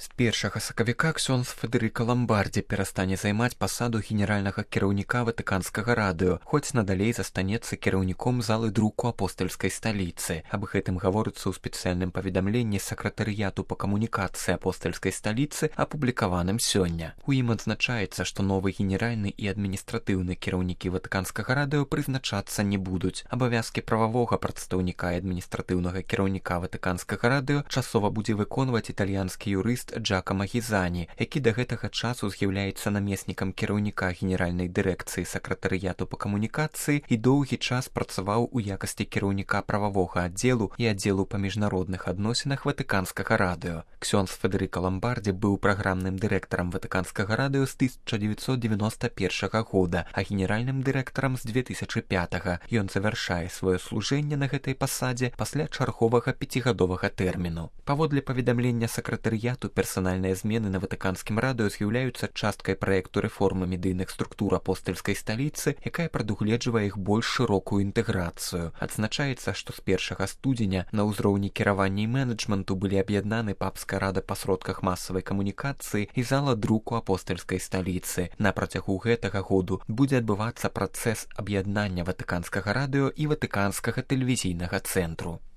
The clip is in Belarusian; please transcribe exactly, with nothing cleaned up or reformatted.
З першага сакавіка ксёндз Федэрыка Ламбардзі перастане займаць пасаду генеральнага кіраўніка ватыканскага радыё, хоць надалей застанецца кіраўніком залы друку апостальскай сталіцы. Аб гэтым гаворыцца ў спецыяльным паведамленні сакратарыяту па камунікацыі апостальскай сталіцы, апублікаваным сёння. У ім адзначаецца, што новы генеральны і адміністратыўны кіраўнікі ватыканскага радыё прызначацца не будуць. Абавязкі прававога прадстаўніка і адміністратыўнага кіраўніка ватыканскага радыё часова будзе выконваць італьянскі юрыст Джакама Гізані, які да гэтага часу з'яўляецца намеснікам кіраўніка генеральнай дырэкцыі сакратарыяту па камунікацыі і доўгі час працаваў у якасці кіраўніка прававога аддзелу і аддзелу па міжнародных адносінах ватыканскага радыё. Ксёндз Федэрыка Ламбардзі быў праграмным дырэктарам ватыканскага радыё з тысяча дзевяцьсот дзевяноста першага года, а генеральным дырэктарам з дзве тысячы пятага. Ён завяршае сваё служэнне на гэтай пасадзе пасля чарговага пяцігадовага тэрміну. Паводле паведамлення сакратарыяту, персанальныя змены на ватыканскім радыё з'яўляюцца часткай праекту рэформы медыйных структур апостальскай сталіцы, якая прадугледжвае іх больш шырокую інтэграцыю. Адзначаецца, што з першага студзеня на ўзроўні кіравання і менеджменту былі аб'яднаны папская рада па сродках масавай камунікацыі і зала друку апостальскай сталіцы. На працягу гэтага году будзе адбывацца працэс аб'яднання ватыканскага радыё і ватыканскага тэлевізійнага цэнтру.